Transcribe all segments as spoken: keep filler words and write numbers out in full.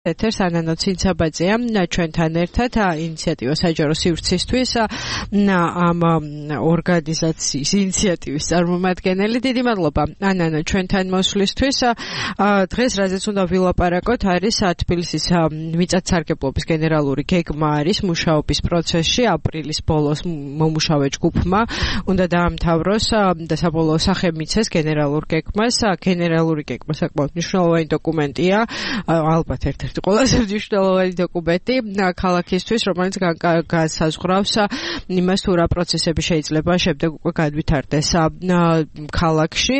ეთერს ანანო ცინცაბაძეა ჩვენთან ერთად ინიციატივა საჯარო სივრცისთვის ამ ორგანიზაციის ინიციატივის წარმომადგენელი. დიდი მადლობა ანანო ჩვენთან მოსვლისთვის. დღეს რაზეც უნდა ვილაპარაკოთ არის თბილისის მიწათსარგებლობის გენერალური გეგმა არის მუშაობის პროცესში. აპრილის ბოლოს მომუშავე ჯგუფმა უნდა დაამთავროს და საბოლოო სახე მიცეს გენერალურ გეგმას. გენერალური გეგმა საკმაოდ მნიშვნელოვანი დოკუმენტია, ალბათ ერთ ყველაზე მნიშვნელოვანი დოკუმენტი ქალაქისთვის, რომელიც განსაზღვრავს იმას, თუ რა პროცესები შეიძლება შემდეგ უკვე გადვითარდეს ქალაქში,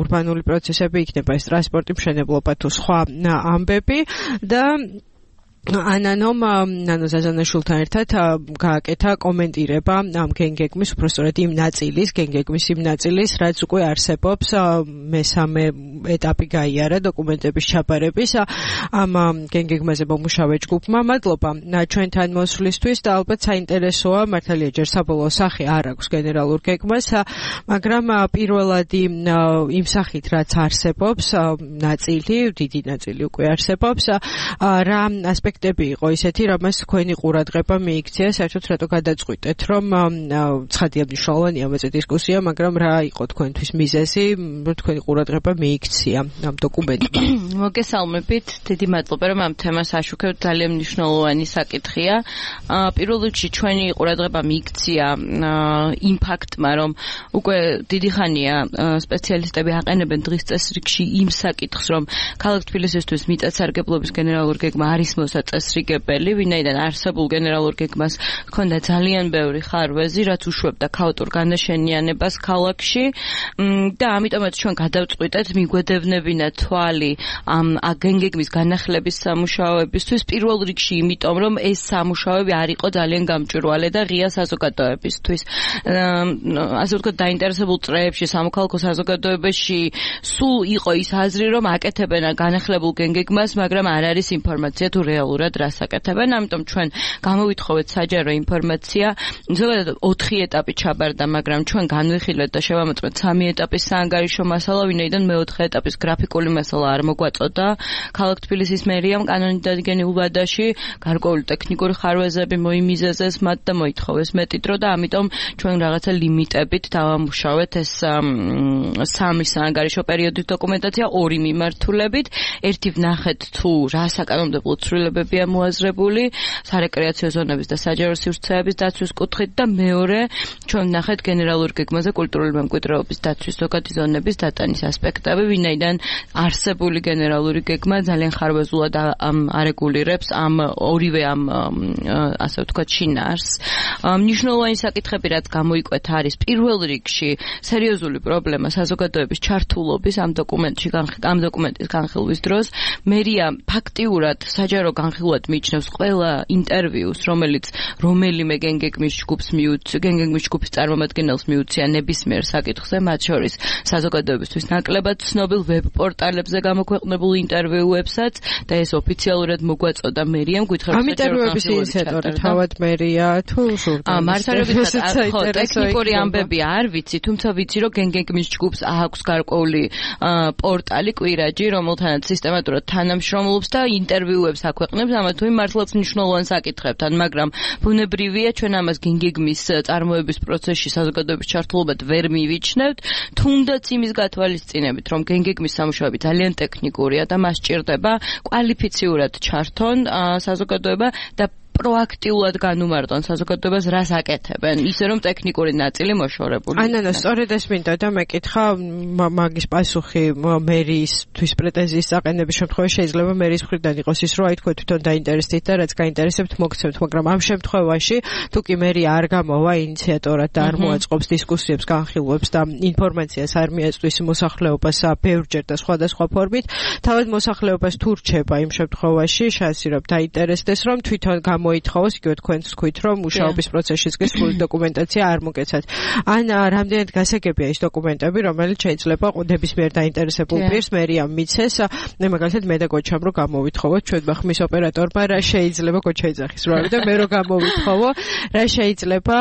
ურბანული პროცესები იქნება ეს ტრანსპორტი, მშენებლობა თუ სხვა ამბები და ანანომ ნანო ზაზანაშვილთან ერთად გააკეთა კომენტირება ამ გენგეგმის, უпростоრად იმ ნაწილის, გენგეგმის იმ ნაწილის, რაც უკვე არსებობს, მესამე ეტაპი გაიარა დოკუმენტების ჩაბარების ამ გენგეგმაზე მომუშავე ჯგუფმა. მადლობა ჩვენთან მოსვლისთვის და ალბათ საინტერესოა, მართალია ჯერ საბოლოო სახე არ აქვს გენერალურ გეგმას, მაგრამ პირველადი იმ სახით რაც არსებობს, ნაწილი, დიდი ნაწილი უკვე არსებობს, რა ასპექტი იყო ისეთი, რამაც თქვენი ყურადღება მიიქცია, საერთოდ რატო გადაწყვიტეთ, რომ ცხადია მნიშვნელოვანია მეცე დისკუსია, მაგრამ რა იყო თქვენთვის მიზეზი, თქვენი ყურადღება მიიქცია ამ დოკუმენტმა? მოგესალმებით, დიდი მადლობა, რომ ამ თემას აშუქებთ, ძალიან მნიშვნელოვანი საკითხია. პირველ რიგში ჩვენი ყურადღება მიიქცია იმ ფაქტმა, რომ უკვე დიდი ხანია სპეციალისტები აყენებენ დღის წესრიგში იმ საკითხს, რომ ქალაქ თბილისისთვის მიწათსარგებლობის გენერალური გეგმა არის წესრიგებელი, ვინაიდან არსებულ გენერალურ გეგმას ჰქონდა ძალიან ბევრი ხარვეზი, რაც უშვებდა ქაოტურ განაშენიანებას ქალაქში და ამიტომაც ჩვენ გადავწყვიტეთ მიგვედევნებინა თვალი ამ გენგეგმის განახლების სამუშაოებისთვის, პირველ რიგში იმიტომ, რომ ეს სამუშაოები არ იყო ძალიან გამჭვირვალე და ღია საზოგადოებისთვის. ასე ვთქვათ, დაინტერესებულ წრეებში, სამოქალაქო საზოგადოებაში სულ იყო ის აზრი, რომ აკეთებენ განახლებულ გენგეგმას, მაგრამ არ არის ინფორმაცია თუ რეალურად რას აკეთებენ, ამიტომ ჩვენ გამოვითხოვეთ საჯარო ინფორმაცია. ზოგადად ოთხი ეტაპი ჩაბარდა, მაგრამ ჩვენ განვიხილეთ და შევამოწმეთ სამი ეტაპის საანგარიშო მასალა, ვინაიდან მეოთხე ეტაპის გრაფიკული მასალა არ მოგვაწოდა. ქალაქ თბილისის მერიამ კანონით დადგენილ ვადაში გარკვეული ტექნიკური ხარვეზები მოიმიზეზეს მათ და მოითხოვეს მეტი დრო და ამიტომ ჩვენ რაღაცა ლიმიტებით დავამუშავეთ ეს სამი საანგარიშო პერიოდის დოკუმენტაცია ორი მიმართულებით. ერთი ვნახეთ თუ რა საკანონმდებლო ცვლილებებია მოაზრებული სარეკრეაციო ზონების და საჯარო სივრცეების დაცვის კუთხით და მეორე ჩვენ ვნახეთ გენერალურ გეგმაზე კულტურული მემკვიდრეობის დაცვის ზოგადი ზონების დატანის ასპექტები, ვინაიდან არსებული გენერალური გეგმა ძალიან ხარვეზულად არეგულირებს ამ ორივე ამ ასე ვთქვათ შინაარსს. მნიშვნელოვანი საკითხები, რაც გამოიკვეთა, არის პირველ რიგში სერიოზული პრობლემა საზოგადოების ჩართულობის ამ დოკუმენტში, ამ დოკუმენტის განხილვის დროს. მერია ფაქტიურად საჯარო განხილვად მიიჩნევს ყველა ინტერვიუს, რომელიც რომელიმე გენგეგმის ჯგუფს მიუწია, გენგეგმის ჯგუფის წარმომადგენელს მიუწია ნებისმიერ საკითხზე, მათ შორის საზოგადოებისთვის ნაკლებად ცნობილ ვებ პორტალებზე გამოქვეყნებულ ინტერვიუებსაც და ეს ოფიციალურად მოგვაწოდა მერიამ გითხრათ ამ ინტერვიუების ინიციატორი თავად მერია თუ ჟურნალისტი? მართალობითად ხო, ტექნიკური ამბები არ ვიცი, თუმცა ვიცი, რომ გენგეგმის ჯგუფს აქვს გარკვეული პორტალი კვირაჯი, რომელთანაც სისტემატურად თანამშრომლობს და ინტერვიუებს აქვეყნებს ამა თუ იმ მართლაც მნიშვნელოვან საკითხებთან, მაგრამ ბუნებრივია ჩვენ ამას გენგეგმის წარმოების პროცესში საზოგადოების ჩართულობად ვერ მივიჩნევთ, თუნდაც იმის გათვალისწინებით, რომ გენგეგმის სამუშაოები ძალიან ტექნიკურია და მას სჭირდება კვალიფიციურად ჩართონ საზოგადოება და პროაქტიულად განუმარტონ საზოგადოებას რას აკეთებენ, ისე რომ ტექნიკური ნაწილი მოშორებული. ანანო, სწორედ ეს მინდა და მეკითხა მაგის პასუხი მერიისთვის პრეტენზიის აყენების შემთხვევაში შეიძლება მერის მხრიდან იყოს ის, რომ აი თქვენ თვითონ დაინტერესდით და რაც გაინტერესებთ მოგცემთ, მაგრამ ამ შემთხვევაში თუ კი მერია არ გამოვა ინიციატორად და არ მოაწყობს დისკუსიებს, განხილვებს და ინფორმაციას არ მიაწვდის მოსახლეობას ბევრჯერ და სხვადასხვა ფორმით, თავად მოსახლეობას თუ რჩება იმ შემთხვევაში შანსი რომ დაინტერესდეს, რომ თვითონ გამოითხოვოს, იგივე თქვენც თქვით, რომ მუშაობის პროცესშიც კი სრული დოკუმენტაცია არ მოგეცათ. ან რამდენად გასაგებია ის დოკუმენტები, რომელიც შეიძლება ნებისმიერ დაინტერესებულ პირს მერია მიცეს, მე მაგალითად მე და გოჩამ რომ გამოვითხოვოთ, ჩვენ ხმის ოპერატორმა რა შეიძლება გოჩა ეძახის რა და მე რომ გამოვითხოვო, რა შეიძლება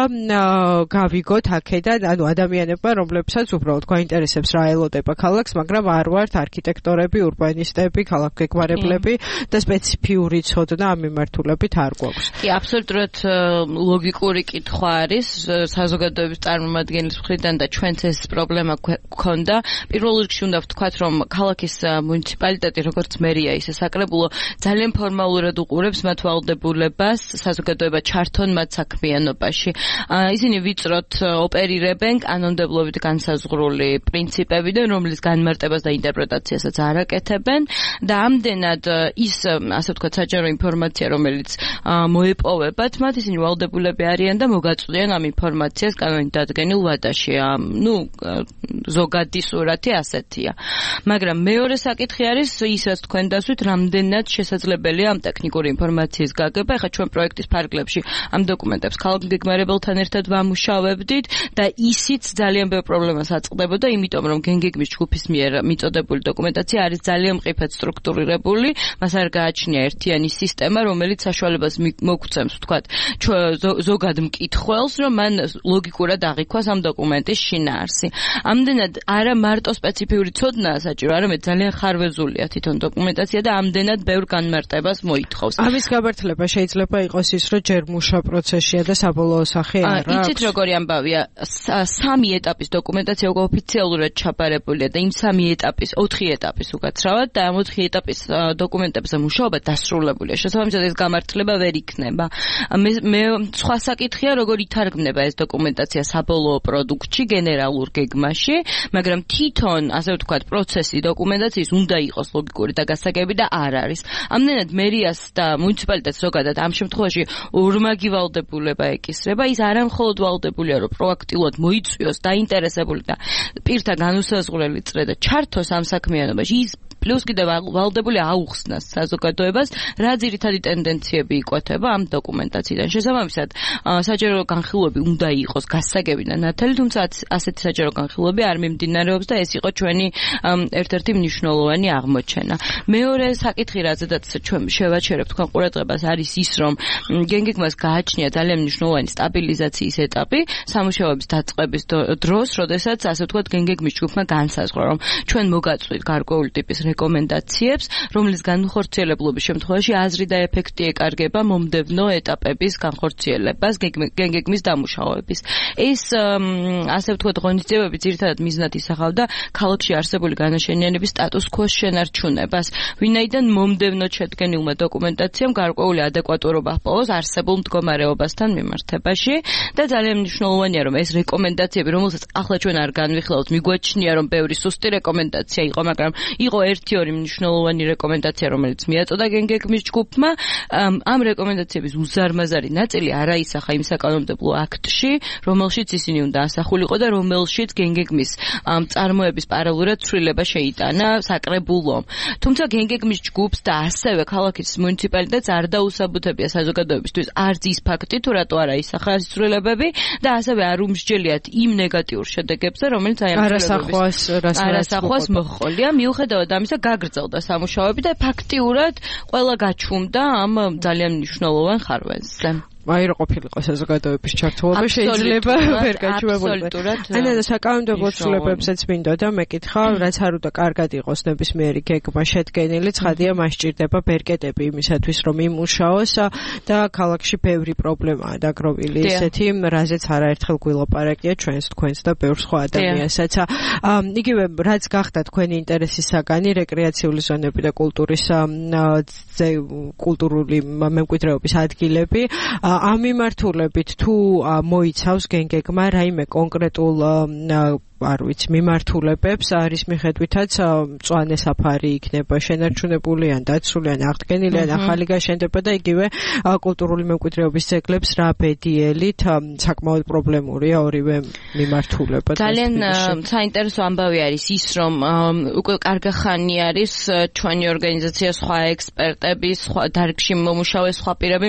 გავიგოთ აქედან, ანუ ადამიანებმა, რომლებსაც უბრალოდ გვაინტერესებს რა ელოდება ქალაქს, მაგრამ არ ვართ არქიტექტორები, ურბანისტები, ქალაქგეგმარებლები და სპეციფიური ცოდნა ამ მიმართულებით არ გვაქვს. კი, აბსოლუტურად ლოგიკური კითხვა არის საზოგადოების წარმომადგენლის მხრიდან და ჩვენც ეს პრობლემა გვქონდა. პირველ რიგში უნდა ვთქვათ, რომ ქალაქის მუნიციპალიტეტი, როგორც მერია, ისე საკრებულო ძალიან ფორმალურად უყურებს მათ ვალდებულებას საზოგადოება ჩართონ მათ საქმიანობაში. ისინი ვიწროთ ოპერირებენ კანონმდებლობით განსაზღვრული პრინციპებიდან, რომლის განმარტებას და ინტერპრეტაციასაც არ აკეთებენ და ამდენად ის, ასე ვთქვათ, საჯარო ინფორმაცია, რომელიც მოეპოვებათ, მათ ისინი ვალდებულები არიან და მოგაწვდიან ამ ინფორმაციას კანონით დადგენილ ვადაში. ნუ ზოგადი სურათი ასეთია. მაგრამ მეორე საკითხი არის ის, რაც თქვენ დასვით, რამდენად შესაძლებელია ამ ტექნიკური ინფორმაციის გაგება. ეხლა ჩვენ პროექტის ფარგლებში ამ დოკუმენტებს ქალაქგეგმარებელთან ერთად ვამუშავებდით და ისიც ძალიან ბევრ პრობლემას აწყდებოდა, იმიტომ რომ გენგეგმის ჯგუფის მიერ მიწოდებული დოკუმენტაცია არის ძალიან მყიფად სტრუქტურირებული, მას არ გააჩნია ერთიანი სისტემა, რომელიც საშუალებას მოგცემს, ვთქვათ, ზოგად მკითხველს, რომ მან ლოგიკურად აღიქვას ამ დოკუმენტის შინაარსი. ამდენად არა მარტო სპეციფიური ცოდნაა საჭირო, არამედ ძალიან ხარვეზულია თვითონ დოკუმენტაცია და ამდენად ბევრ განმარტებას მოითხოვს. ამის გამართლება შეიძლება იყოს ის, რომ ჯერ მუშა პროცესია და საბოლოო სახე არ აქვს. იცით როგორი ამბავია, სამი ეტაპის დოკუმენტაცია უკვე ოფიციალურად ჩაბარებულია და იმ სამი ეტაპის, ოთხი ეტაპის უკაცრავად და ამ ოთხი ეტაპის დოკუმენტებზე მუშაობა დასრულებულია. შესაბამისად ეს გამართლება ვერ იქნება. მე სხვა საკითხია, როგორ ითარგმნება ეს დოკუმენტაცია საბოლოო პროდუქტში, გენერალურ გეგმაში, მაგრამ თვითონ, ასე ვთქვათ, პროცესი დოკუმენტაციის უნდა იყოს ლოგიკური და გასაგები და არ არის. ამდენად მერიას და მუნიციპალიტეტს ზოგადად ამ შემთხვევაში ორმაგი ვალდებულება ეკისრება, ის არა მხოლოდ ვალდებულია, რომ პროაქტიულად მოიწვიოს დაინტერესებული და პირთა განუსაზღვრელი წრე და ჩართოს ამ საქმიანობაში, ის პლუს კიდევ ვალდებული აუხსნას საზოგადოებას, რა ძირითადი ტენდენციები იკვეთება ამ დოკუმენტაციიდან. შესაბამისად, საჯარო განხილვები უნდა იყოს გასაგები და ნათელი, თუმცა ასეთი საჯარო განხილვები არ მიმდინარეობს და ეს იყო ჩვენი ერთ-ერთი მნიშვნელოვანი აღმოჩენა. მეორე საკითხი, რაზედაც ჩვენ შევაჩერებთ თქვენ ყურადღებას, არის ის, რომ გენგეგმას გააჩნია ძალიან მნიშვნელოვანი სტაბილიზაციის ეტაპი სამუშაოების დაწყების დროს, როდესაც ასე ვთქვათ, გენგეგმის ჯგუფმა განსაზღვრა, რომ ჩვენ მოგაწვით გარკვეული ტიპის რეკომენდაციებს, რომლის განხორციელებლობის შემთხვევაში აზრი და ეფექტი ეკარგება მომდევნო ეტაპების განხორციელებას გენგეგმის დამუშავების. ეს ასე ვთქვათ, ღონისძიებები ძირითადად მიზნად ისახავდა ქალაქში არსებული განაშენიანების სტატუს quo-ს შენარჩუნებას, ვინაიდან მომდევნო შედგენილმა დოკუმენტაციამ გარკვეული ადეკვატურობა ჰპოვოს არსებულ მდგომარეობასთან მიმართებაში და ძალიან მნიშვნელოვანია, რომ ეს რეკომენდაციები, რომელსაც ახლა ჩვენ არ განვიხილავთ, მიგვაჩნია, რომ ბევრი სუსტი რეკომენდაცია იყო, მაგრამ იყო ერთი ორი მნიშვნელოვანი რეკომენდაცია, რომელიც მიაწოდა გენგეგმის ჯგუფმა. ამ რეკომენდაციების უზარმაზარი ნაწილი არაისახა იმ საკანონმდებლო აქტში, რომელშიც ისინი უნდა ასახულიყო და რომელშიც გენგეგმის წარმოების პარალელურად ცვლილება შეიტანა საკრებულომ. თუმცა გენგეგმის ჯგუფს და ასევე ქალაქის მუნიციპალიტეტს არ დაუსაბუთებია საზოგადოებისთვის არც ის ფაქტი, თუ რატო არა ისახა ეს ცვლილებები და ასევე არ უმსჯელიათ იმ ნეგატიურ შედეგებზე, რომელიც აი ამ არასახვას არასახვას მოჰყოლია. მიუხედავად ამისა გაგრძელდა სამუშაოები და ფაქტიურად ყველა გაჩუმდა ამ ძალიან მნიშვნელოვან ხარვეზზე. აი რა ყოფილიყო საზოგადოების ჩართულობა შეიძლება ვერ გაჩვენებულიყო. ანუ და საკანონმდებლო ცვლილებებსაც მინდო და მეკითხა, რაც არ უნდა კარგად იყოს ნებისმიერი გეგმა შედგენილი, ცხადია მას სჭირდება ბერკეტები იმისათვის, რომ იმუშაოს და ქალაქში ბევრი პრობლემაა დაგროვილი, ისეთი, რაზეც არაერთხელ გვილაპარაკია ჩვენს თქვენს და ბევრ სხვა ადამიანსაც. იგივე რაც გახდა თქვენი ინტერესის საგანი, რეკრეაციული ზონები და კულტურის კულტურული მემკვიდრეობის ადგილები. ამ მიმართულებით თუ მოიცავს გენგეგმა რაიმე კონკრეტულ არ ვიცი მიმართულებებს, არის მიხედვითაც მწვანე საფარი იქნება შენარჩუნებული ან დაცული ან აღდგენილი ან ახალი გაშენდება და იგივე კულტურული მემკვიდრეობის ძეგლებს რა ბედიელით საკმაოდ პრობლემურია ორივე მიმართულება. ძალიან საინტერესო ამბავი არის ის, რომ უკვე კარგი ხანი არის ჩვენი ორგანიზაცია, სხვა ექსპერტები, სხვა დარგში მომუშავე სხვა პირები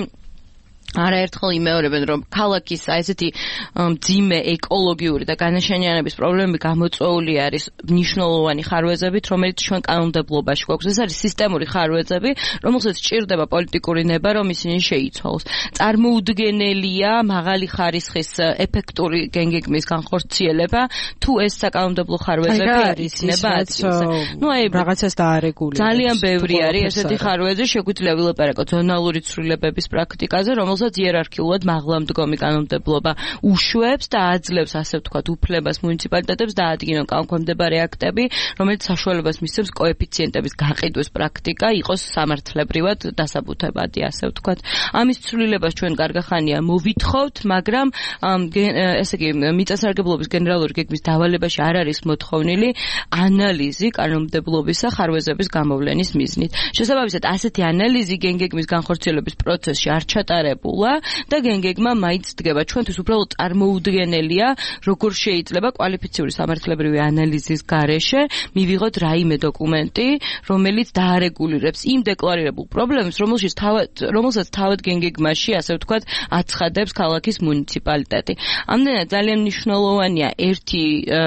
არაერთხელ იმეორებენ, რომ ქალაქის აი ესეთი მძიმე ეკოლოგიური და განაშენიანების პრობლემები გამოწვეული არის მნიშვნელოვანი ხარვეზებით, რომელიც ჩვენ კანონმდებლობაში გვაქვს. ეს არის სისტემური ხარვეზები, რომელსაც სჭირდება პოლიტიკური ნება, რომ ისინი შეიცვალოს. წარმოუდგენელია მაღალი ხარისხის ეფექტური გენგეგმის განხორციელება, თუ ეს საკანონმდებლო ხარვეზები არის იქნება ადგილზე. ნუ აი რაღაცას დაარეგულირებს. ძალიან ბევრი არის ესეთი ხარვეზი, შეგვიძლია ვილაპარაკოთ ზონალური ცვლილებების პრაქტიკაზე, რომელსაც იერარქიულად მაღლამდგომი კანონმდებლობა უშვებს და აძლევს, ასე ვთქვათ, უფლებას მუნიციპალიტეტებს დაადგინონ კანონქვემდებარე აქტები, რომელიც საშუალებას მისცემს კოეფიციენტების გაყიდვის პრაქტიკა იყოს სამართლებრივად დასაბუთებადი, ასე ვთქვათ. ამის ცვლილებას ჩვენ გარგახანია მოვითხოვთ, მაგრამ ესე იგი მიწასარგებლობის გენერალური გეგმის დავალებაში არ არის მოთხოვნილი ანალიზი კანონმდებლობისა ხარვეზების გამოვლენის მიზნით. შესაბამისად, ასეთი ანალიზი გენგეგმის განხორციელების პროცესში არ ჩატარებულა და გენგეგმა მაინც დგება. ჩვენთვის უბრალოდ წარმოუდგენელია, როგორ შეიძლება კვალიფიციური სამართლებრივი ანალიზის გარეშე მივიღოთ რაიმე დოკუმენტი, რომელიც დაარეგულირებს იმ დეკლარირებულ პრობლემებს, რომელშიც თავად რომელსაც თავად გენგეგმაში, ასე ვთქვათ, აცხადებს ქალაქის მუნიციპალიტეტი. ამდენად ძალიან მნიშვნელოვანია ერთი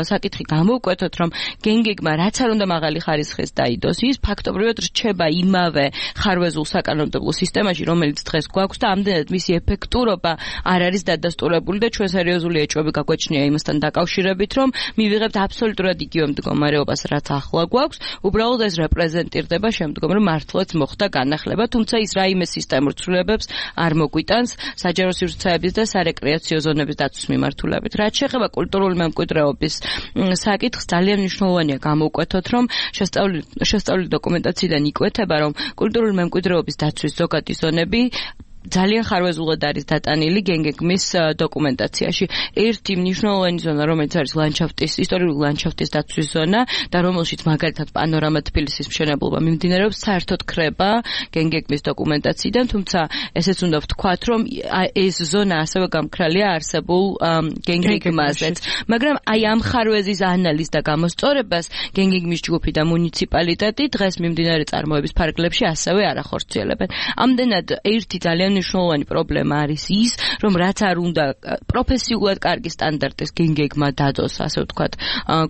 საკითხი გამოვკვეთოთ, რომ გენგეგმა რაც არ უნდა მაღალი ხარისხის დაიდოს, ის ფაქტობრივად რჩება იმავე ხარვეზულ საკანონმდებლო სისტემაში, რომელიც დღეს გვაქვს და ამდენად მისი ეფექტურობა არ არის დადასტურებული და ჩვენ სერიოზული ეჭვები გაგვეჩნია იმასთან დაკავშირებით, რომ მივიღებთ აბსოლუტურად იგივე მდგომარეობას, რაც ახლა გვაქვს, უბრალოდ ეს რეპრეზენტირდება შემდგომ, რომ მართლაც მოხდა განახლება, თუმცა ის რაიმე სისტემურ ცვლილებებს არ მოგვიტანს საჯარო სივრცეების და სარეკრეაციო ზონების დაცვის მიმართულებით. რაც შეეხება კულტურული მემკვიდრეობის საკითხს, ძალიან მნიშვნელოვანია გამოვკვეთოთ, რომ შესწავლილი შესწავლილი დოკუმენტაციიდან იკვეთება, რომ კულტურული მემკვიდრეობის დაცვის ზოგადი ზონები ძალიან ხარვეზულად არის დატანილი გენგეგმის დოკუმენტაციაში. ერთი მნიშვნელოვანი ზონა, რომელიც არის ლანდშაფტის, ისტორიული ლანდშაფტის დაცვის ზონა და რომელშიც მაგალითად პანორამა თბილისის მშენებლობა მიმდინარეობს, საერთოდ ხრება გენგეგმის დოკუმენტაციიდან, თუმცა ესეც უნდა ვთქვათ, რომ ეს ზონა ასევე გამქრალია არსებულ გენგეგმაზეც. მაგრამ აი ამ ხარვეზის ანალიზს და გამოსწორებას გენგეგმის ჯგუფი და მუნიციპალიტეტი დღეს მიმდინარე წარმოების ფარგლებში ასევე არ ახორციელებენ. ამდენად ერთი ძალიან მნიშვნელოვანი პრობლემა არის ის, რომ რაც არ უნდა პროფესიულად კარგი სტანდარტის გენგეგმა დადოს, ასე ვთქვათ,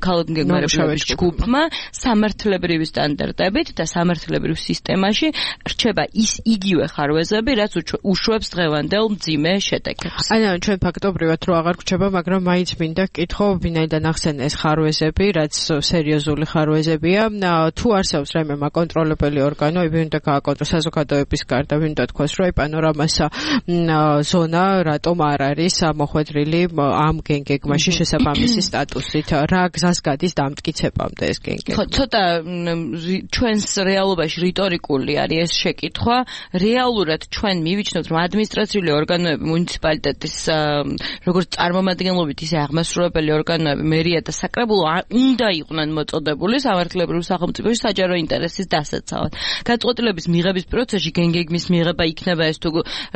ქალაქ გენგეგმარების ჯგუფმა, სამართლებრივი სტანდარტებით და სამართლებრივ სისტემაში რჩება ის იგივე ხარვეზები, რაც უშვებს დღევანდელ მძიმე შედეგებს. აი, ჩვენ ფაქტობრივად რო აღარ გვჩება, მაგრამ მაინც მინდა გკითხო, ვინაიდან ახსენე ეს ხარვეზები, რაც სერიოზული ხარვეზებია, თუ არსებობს რაიმე მაკონტროლებელი ორგანო, ვინ უნდა გააკონტროლოს საზოგადოების გარდა, ვინ უნდა თქვას, რომ პანორამასა ზონა რატომ არ არის მოხვედრილი ამ გენგეგმაში შესაბამისი სტატუსით, რა გზას გადის დამტკიცებამდე ეს გენგეგმა. ხო, ცოტა ჩვენს რეალობაში რიტორიკული არის ეს შეკითხვა. რეალურად ჩვენ მივიჩნევთ, რომ ადმინისტრაციული ორგანოები მუნიციპალიტეტის როგორც წარმომადგენლობით, ისე აღმასრულებელი ორგანოები, მერია და საკრებულო უნდა იყვნენ მოწოდებული სამართლებრივ სახელმწიფოში საჯარო ინტერესის დასაცავად. გადაწყვეტილების მიღების პროცესში გენგეგმის მიღება იქნება ეს თუ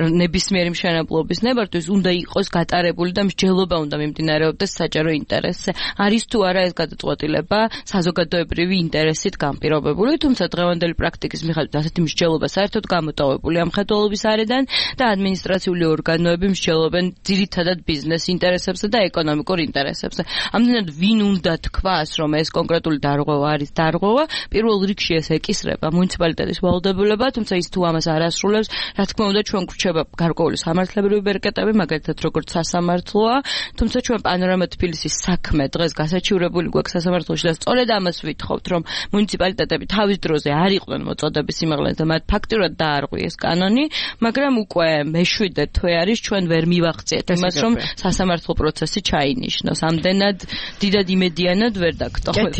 ნებისმიერი მშენებლობის ნებართვის უნდა იყოს გატარებული და მსჯელობა უნდა მიმდინარეობდეს საჯარო ინტერესზე. არის თუ არა ეს გადაწყვეტილება საზოგადოებრივი ინტერესით განპირობებული, თუმცა დღევანდელი პრაქტიკის მიხედვით ასეთი მსჯელობა საერთოდ გამოტოვებული ამ მხედველობის არიდან და ადმინისტრაციული ორგანოები მსჯელობენ ძირითადად ბიზნეს ინტერესებზე და ეკონომიკურ ინტერესებზე. ამდენად ვინ უნდა თქვას, რომ ეს კონკრეტული დარღვევა არის დარღვევა, პირველ რიგში ეს ეკისრება მუნიციპალიტეტის ვალდებულება, თუმცა ის თუ ამას არ ასრულებს, რა თქმა უნდა ჩვენ გვრჩება გარკვეული სამართლებრივი ბერკეტები, მაგალითად როგორც სასამართლოა, თუმცა ჩვენ პანორამა თბილისის საქმე დღეს გასაჩივრებული გვაქვს სასამართლოში და სწორედ ამას ვითხოვთ, რომ მუნიციპალიტეტები თავის დროზე არ იყვნენ მოწოდების სიმაღლეზე და მათ ფაქტურად დაარღვიეს კანონი, მაგრამ უკვე მეშვიდე თვე არის ჩვენ ვერ მივახციეთ იმას, რომ სასამართლო პროცესი ჩაინიშნოს. ამდენად დიდად იმედიანად ვერ დაგტოვებთ.